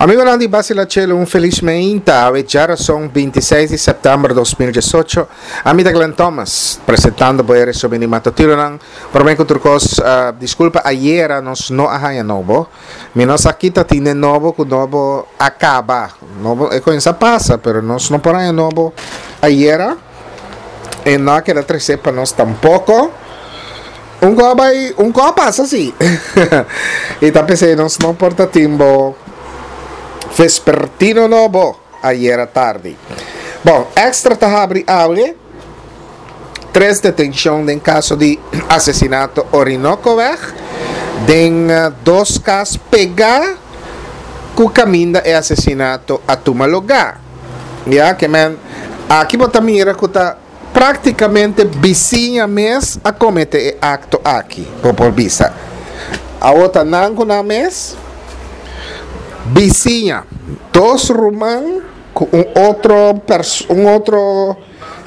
Amigonan di Basila Chelo un felis meinta awe djarason 26 di sèptèmber 2018. Ami ta Glenn Thomas presentando bo e resumen di matutironan. Promé ku tur kos diskulpa ayera nos no a haña nobo. Mi no sa ki ta tin den nobo ku nobo a kaba. Nobo e kuminsá pasa pero nos no por haña nobo ayera. E no a keda tresé pa nos tampoko. Un ko a bai, un ko a pasa si. I ta p'esei nos no por ta tin bo vespertino nobo ayera tardi. Bon, Extra ta habri awe tres detenshon den kaso di asesinato Orinocoweg den dos kas pegá ku kaminda e asesinato a tuma lugá. Ya ke men aki bo ta mira ku ta Práktikamente bisiña mes a kometé e akto aki, bo por bisa. Awor ta nan ku nan mes? Bisiña, dos ruman ku un otro un otro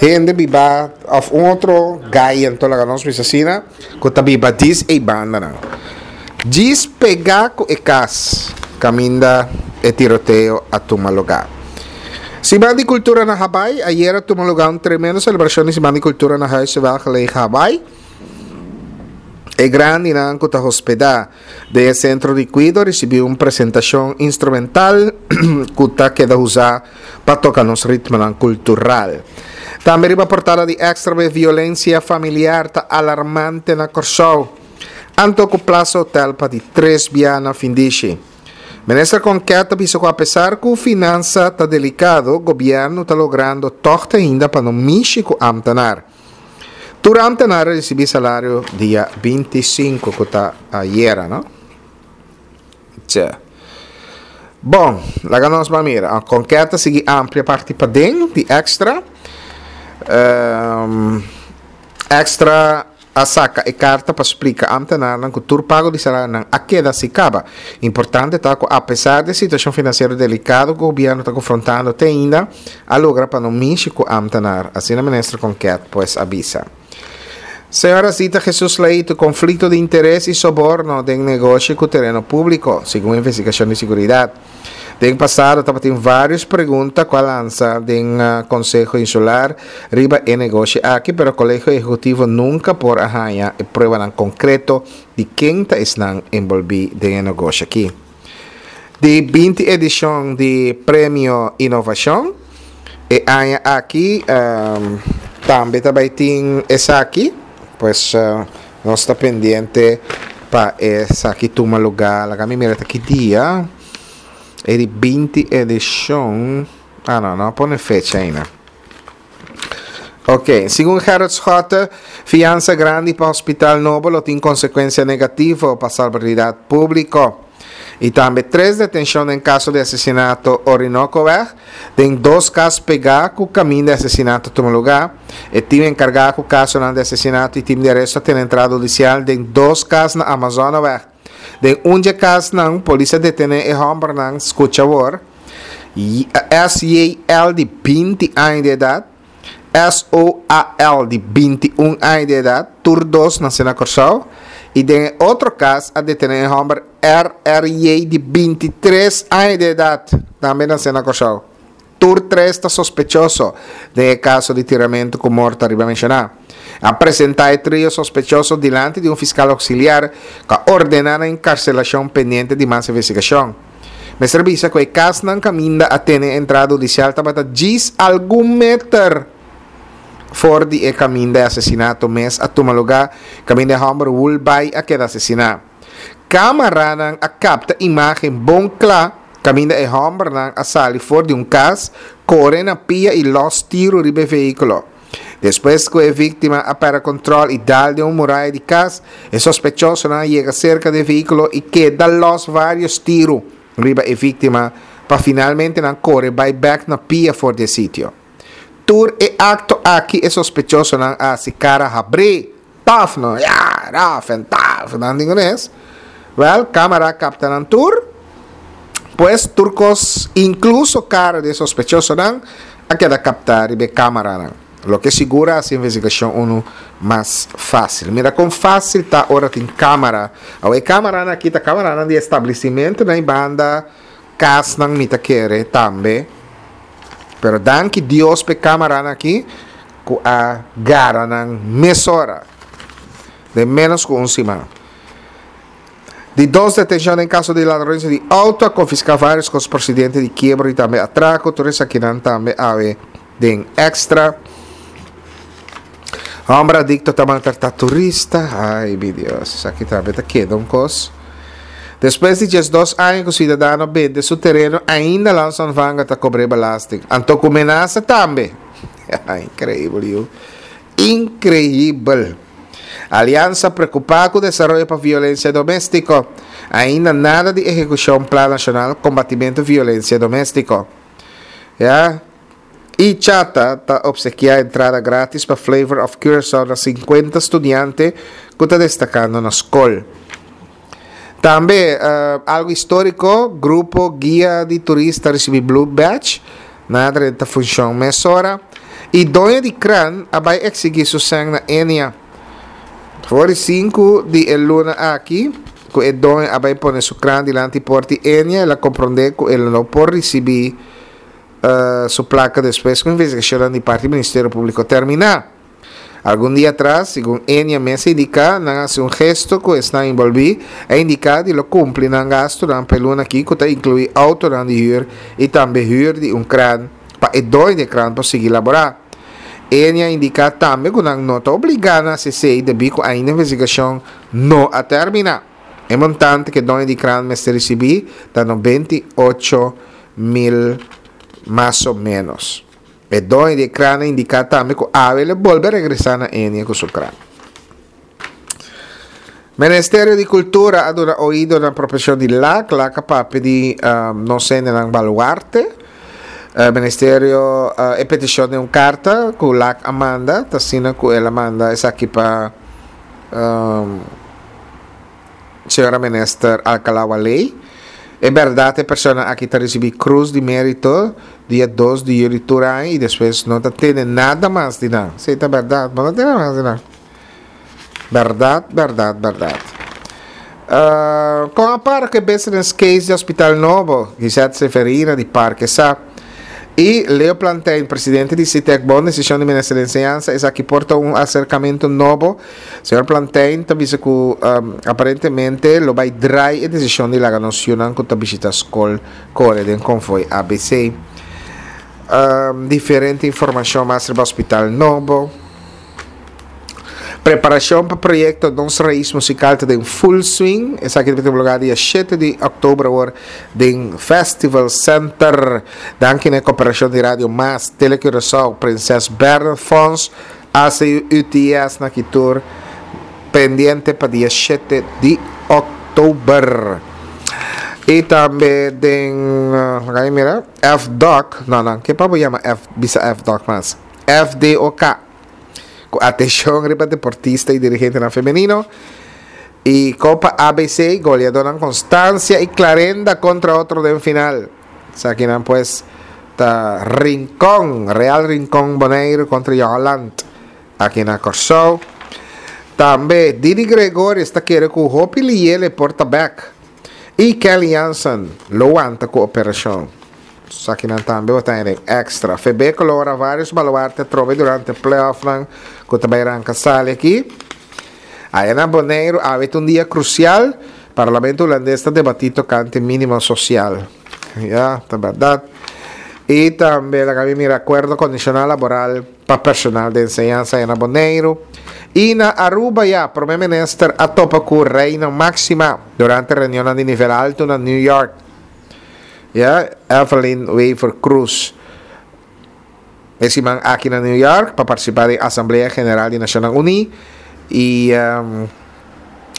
hende biba òf un otro gai anto laga nos bisa asina, ku ta biba djis ei bandanan. Djis pegá ku e kas kaminda e tiroteo a tuma lugá. Siman di Kultura na Habai, Ayera tuma lugá un tremendo selebrashon di Siman di Kultura na Huize Welgelegen Habai. E grandinan ku ta hospedá den e sentro di kuido risibí un presentashon instrumental ku ta keda usá pa toka nos ritmonan kultural. Tambe riba portada di Extra be violensia familiar ta alarmante na Kòrsou. Anto ku Plaza Hotel pa di tres bia na findishi. Minister Konket ta bisa ku apesar ku finansa ta delikado, gobièrnu ta logrando tòg te ainda pa no mishi ku ámtenar. Tur ámtenar a risibí salario dia 25 ku ta ayera, no? Tje. Bon, laga nos ban mira. Konket ta sigui amplia parti paden di Extra. Extra a saka e karta pa splika ámtenarnan ku tur pago di salarionan a keda si kaba. Importante ta ku apesar di e situashon finansiero delikado ku gobièrnu ta konfrontando te ainda, a logra pa no mishi ku ámtenar, asina minister Konket pues a bisa. Señora Zita Jesus Leito, konflikto di interes i soborno den negoshi ku tereno públiko, segun investigashon di siguridat. Den pasado tabatin vários pregunta ku a lansa den Konseho Insular riba e negoshi aki, pero Kolegio Ehekutivo nunka por a haña e pruebanan konkreto di ken ta esnan enbolbí den e negoshi aki. Di 20 edishon di Premio Inovashon e aña aki tambe ta bai tin esaki, pues Nos ta pendiente pa esaki tuma lugar. Laga mi mira ta ki dia. E di 20 edicion. Ah no, no a pone fecha aina. Ok, segun Gerrit Schotte, fiansa grandi pa hospital nobo lo tin consecuencia negativo pa salubridad publico. Y tambe tres detencion den caso di asesinato Orinocoweg, den dos cas pega cu caminda e asesinato tuma lugar. E team encarga cu casonan di asesinato y team di aresto a tene entrada hudicial den dos cas na Amazonaweg. Den un dje casnan, polis a detene e hombernan, scucha awor, SJL di 20 aña di edad, SOAL di 21 aña di edat, tur dos nase na Kòrsou, i den e otro kas a detené e hòmber RRJ di 23 aña di edat, tambe nase na Kòrsou. Tur tres ta sospechoso den e kaso di tiramentu ku morto ariba menshoná. A presentá e trio sospechoso dilanti di un fiskal oksiliar ku a ordená nan enkarselashon pendiente di mas investigashon. Mester bisa ku e kasnan kaminda a tene e entrada hudisial tabata djis algun meter for di e kaminda e asesinato mes a tuma lugá, kaminda e hòmber Woolby a keda asesiná. Kámaranan a kapta imágen bon kla kaminda e hòmbernan a sali for di un kas, kore na pia i lòs tiru riba e vehíkulo. Despues ku e víktima a pèrdè kòntròl i dal den un muraya di kas, e sospechosonan a yega serka di e vehíkulo i keda lòs vários tiru riba e víktima pa finalmente nan kore bai bèk na pia for di e sitio. Tur e akto aki e sospechosonan a hasi kara habrí. Taf no, ya, raf en taf, nan tin kunes. Wel, kamera a kapta nan tur. Pues tur kos, inkluso kara di e sospechosonan, a keda kapta riba e kameranan. Loke sigur a hasi investigashon unu mas fásil. Mira kon fásil ta ora tin kamera. Awe e kameranan aki ta kameranan di establisimentonan i banda. kasnan mi ta kere tambe. Pero danki Dios p'e kameranan aki ku a gara nan mesora den ménos ku un siman. Di dos detenshon den kaso di ladronisia di outo a konfiská vários kos prosedente di kiebro i tambe atrako. Tur esakinan tambe awe den Extra. Hòmber adikto ta maltratá turista. Ai mi Dios, esaki tambe ta keda un kos. Despues di 12 aña ku siudadano bende su tereno, ainda Landsontvanger ta kobr'é belasting. Anto ku menasa tambe. Inkreibel yu. Inkreibel. Aliansa preokupá ku desaroyo pa violensia doméstiko. Ainda nada di ehekushon Plan Nashonal Kombatimentu Violensia Doméstiko. Ya. I Chata ta opsekiá entrada grátis pa Flavor of Curaçao na 50 studiante ku ta destakando na skol. Tambe, algu históriko, grupo guia di turista risibí Blue Badge, nan a drenta funshon mesora, i doño di kran a bai eksigí su sèn na Ennia. For di sinku di e luna aki ku e doño a bai pone su kran dilanti port di Ennia, el a komprondé ku el no por risibí su plaka despues ku investigashonnan di parti Ministerio Públiko terminá. Algun dia atras, segun Enia mes a indiká, nan a hasi un gesto ku esnan enbolbí, a indiká di lo kumpli nan gastunan pa e luna aki ku ta inkluí outonan di hür i tambe hür di un kran pa e doño di e kran por sigui laborá. Enia a indiká tambe ku nan no ta obligá na hasi esei debí ku ainda investigashon no a terminá. E montante ku e doño di kran mester risibí ta 98 mil mas o ménos. E doño di e kran a indiká tambe ku awe lo bolbe regresá na Enia ku su kran. Ministerio di Kultura a duna oido na proposishon di Lac. Lac a papia di nos hendenan baluarte. Ministerio e petishon den un karta ku Lac a manda, ta asina ku el a manda esaki pa Señora Minister Alcalá-Wallé. E bèrdat e persona aki ta risibí Krus di Mérito dia 2 di yüli tur aña i despues no ta tene nada mas di nan. Sí, ta bèrdat, bo no tene mas di nan. Bèrdat, bèrdat, bèrdat. Kon a para ku e business case di Hospital Nobo? Gisette Severina di Parke sa. I Leo Plantijn, presidente di Sitek, bon desishon di Minister di Enseñansa, esaki por ta un aserkamentu nobo. Señor Plantijn ta bisa ku aparentemente lo bai drai e desishon di laga nos yunan ku ta bishita skol kore den konvoi ABC. Diferente informashon mas riba Hospital Nobo. Preparacion pa proyecto Nos Raiz Musical ta den full swing. Esaki ta tuma lugar dia 7 di october awor den Festival Center. Danki na e cooperacion di Radio Mas, Tele Curaçao, Prinses Bernard Fonds, ACUTS na Kitur. Pendiente pa dia 7 di october. Y tambe den, uh, mira, FDOC, no, no, ke pa bo yama F, bisa FDOC mas? FDOK. Ku atenshon riba deportista i dirigentenan femenino. I Kopa ABC, goleadónan Constancia i Clarenda kontra otro den final. Esakinan pues ta Rincon, Real Rincon Boneiru kontra Jong Holland aki na Kòrsou. Tambe Didi Gregorius ta kere ku hopi liele por ta bèk. I Kelly Jansen lo wanta ku operashon. Esakinan tambe bo ta haña den Extra. Febeko lo ora varios baluarte atrobe durante playoffnan ku ta bai ranka sali aki. Aya na Boneiru awe ta un dia krusial. Parlamento Hulandes ta debatí tokante mínimo sosial. Ya, ta bèrdat. I tambe laga mi mira akuerdo kondishonal laboral pa personal di enseñansa aya na Boneiru. I na Aruba ya Prome Minister a topa ku Reina Máxima durante reunionnan di nivel altu na New York. Ya, Evelyn Wever Croes e siman aki na New York pa partisipá den Asamblea General di Nashonnan Uní i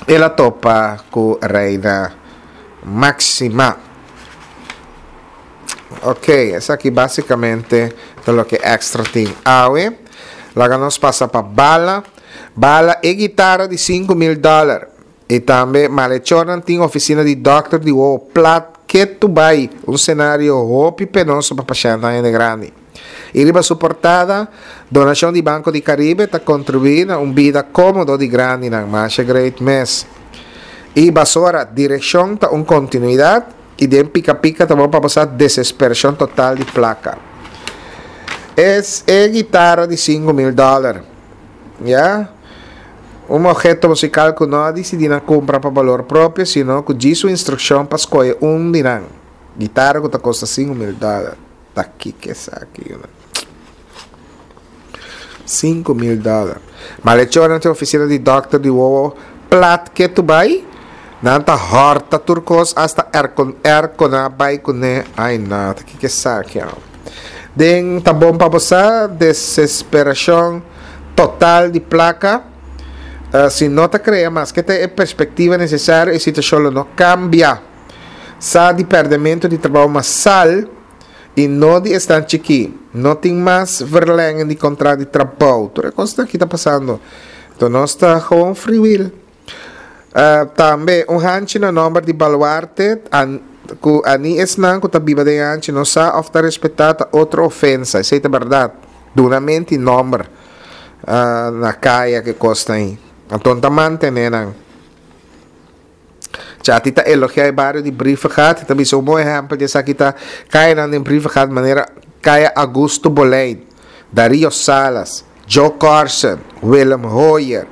el a topa ku Reina Máxima. Ok, esaki básicamente ta loke Extra tin awe. Laga nos pasa pa Bala. Bala e guitara di 5000 dòler. I tambe malechornan tin ofisina di dòkter di wowo plat ketu bai, un senario hopi penoso pa pashèntnan hende grandi. I riba su portada, donashon di Banco di Caribe ta kontribuí na un bida kómodo di grandinan, masha great mes. I basora, direkshon ta un kontinuidat. I den pika pika ta bon pa bo sa desesperashon total di plaka. Es e gitara di 5000 dòler. Ya. Un obheto musikal ku no a disidí na kumpra pa balor propio, sino ku djis un instrukshon pa skohe un di nan. Gitara ku ta kosta 5000 dòler. Ta kiko esaki, yunan? 5000 dòler. Malechornan tin ofisina di dòkter di wowo plat ketu bai. Nan ta hòrta tur kos, asta aircon aircon a bai kuné. Ai no, ta kiko esaki awor. Den ta bon pa bo sa, desesperashon total di plaka. Si no ta krea maske ta e perspektiva nesesario, e situashon lo no kambia. Sa di pèrdèmentu di trabou masal. I no di esnan chikí. No tin mas verlengen di kontrakt di trabou. Tur e kosnan aki ta pasando. Enton nos ta gewoon free will. Tambe un hanchi na nòmber di baluarte ku a ni esnan ku ta biba den e hanchi no sa òf ta respetá ta otro ofensa. Esei ta bèrdat. Duna menti nòmber na kaya ku e kosnan ei. Anton ta mantené nan. Chati ta elogiá e bario di Brievengat i ta bisa un bon ehèmpel di esaki ta kayanan den Brievengat manera Kaya Augusto Boleyn, Dario Salas, Joe Carson, Willem Hoyer.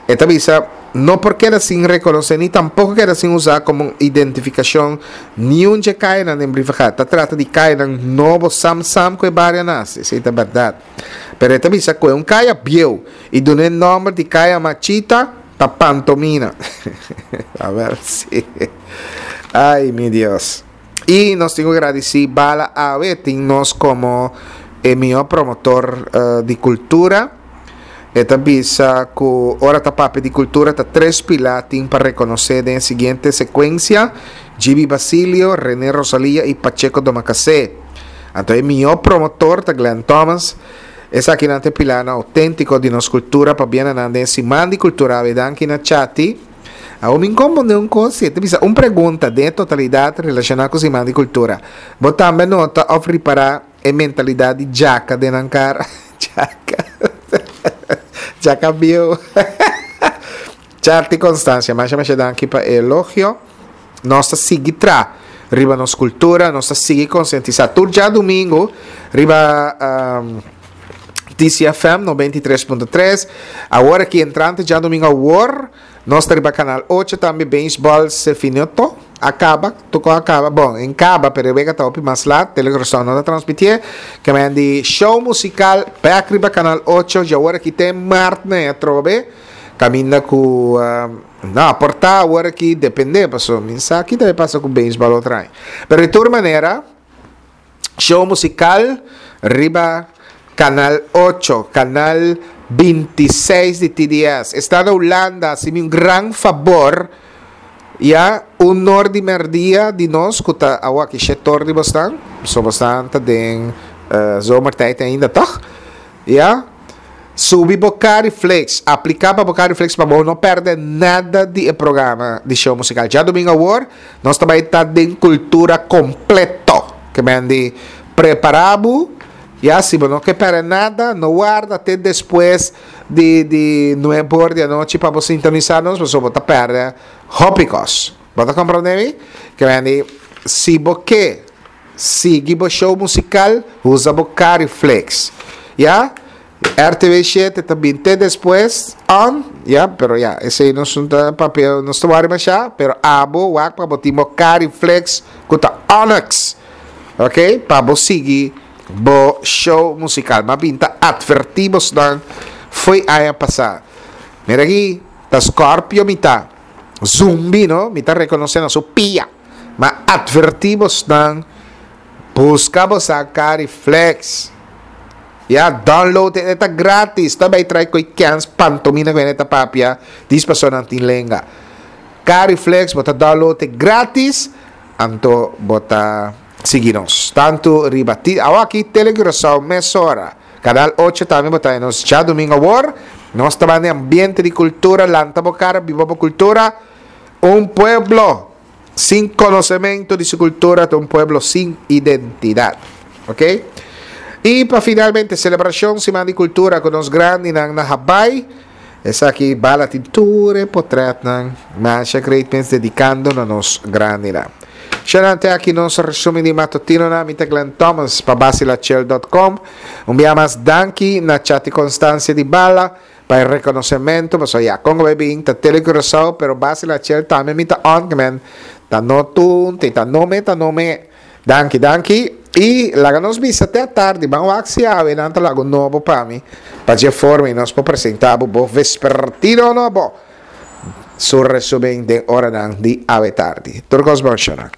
E ta bisa no por keda sin rekonosé ni tampoko keda sin usá komo un identifikashon niun dje kayanan den Brievengat. Ta trata di kayanan nobo sam sam ku e bario a nase. Esei ta bèrdat. Pero e ta bisa ku e un kaya bieu i dun'é nòmber di Kaya Machita. Ta pantomina. A ver si. Ay, mi Dios. Y nos tin ku gradisí Bala Awe tin nos komo e mihó promotor di kultura. E ta bisa ku ora ta papia di kultura ta tres pilá tin pa rekonosé den e siguiente sekuensia, Gibi Basilio, René Rosalia y Pacheco Domacassé. Anto e mihó promotor ta Glenn Thomas. Esakinan ta e pilarnan outéntiko di nos kultura pabia na nan den e siman di kultura awe. Danki na Chati. Awor mi komprondé un kos si. E ta bisa un pregunta den e totalidat relashoná ku siman di kultura. Bo tambe a nota òf ripará e mentalidat di djaka den nan kara? Djaka. Djaka bieu. Chati Constancia, masha masha danki pa e elogio. Nos ta sigui tra riba nos kultura, nos ta sigui konsientisá. Tur djadumingu riba TCFM 93.3. Awor aki entrante djadumingu awor, nos ta riba kanal 8 tambe Beisbòl se finito, a kaba, tokó a kaba, bon, en kaba, pero e wega ta hopi mas lat, Telegrosou no ta transmitié. Ke men di show musikal bèk riba kanal 8, djawor aki te mart nei atrobe, kaminda ku No, por ta awor aki depende, paso mi sa ki ta bay pasa ku beisbol otro aña. Pero di tur manera, show musical riba Canal 8, Canal 26 di TDS. Esta na Hulanda, hasi mi un gran fabor, ya, un nor di merdia di nos ku ta awor aki shetor di bosnan, so bosnan ta den zomertijd ainda, toch? Ya. Subi bo Cariflex. Apliká pa bo Cariflex pa bo no pèrdè nada di e programa di show musikal. Djadumingu awor nos ta bai ta den kultura kompleto. Ke men di prepará bo, ya, si bo no ke pèrdè nada, no warda te despues di di nuebe or di anochi pa bo sintonisá nos pasobra bo ta pèrdè hopi kos. Bo ta komprondé mi? Ke men di si bo ke Sigui bo show musical, usa bo Cariflex. Ya, RTV 7 ta bin te despues on, ya, pero ya, esey nos no ta papia, nos ta wari masha, pero abo wak pa bo tin bo Cariflex ku ta Onyx. Ok, pa bo sigui bo show musical. Ma bin ta adverti bosnan fo'i aña pasa. Mira aki, ta Scorpio mi ta. Zumbi no, mi ta reconoce na su pia. Ma adverti bosnan, busca bosa Cariflex. Ya, download e, e ta gratis. Ta bay trai koy kens pantomina ku hende ta papia, dis paso nan tin lenga. Cariflex, bo ta download e gratis, anto bo ta sigui nos. Tantu riba ti, awaki Tele Curaçao mesora. Canal 8 tambe bo ta nos djadumingo awor. Nos ta banda e ambiente di cultura, lanta bo cara, biba bo cultura. Un pueblo sin conocemento di su cultura ta un pueblo sin identidad. Ok? Y pa finalmente, celebracion Siman di Cultura cu nos grandinan na Habaai. Esaki bala tin tur e potretnan masha great mens dedicando na nos grandinan. Shanan te aki nos resumen di matutinonan mi ta Glenn Thomas pa Basilachel dot com. Un bia mas danki na Chati Constancia di Bala pa e reconocemento pasobra ya con bay bin ta Tele Curaçao pero Basilachel tambe mi ta on men ta no tunte ta no me ta no me. Danki danki y laga nos bisa te atardi ban wak si awe nan ta laga un nobo pa mi pa dje forma y nos por presenta bo bo vespertino nobo su resumen den oranan di awe tardi. Tur cos bon shona.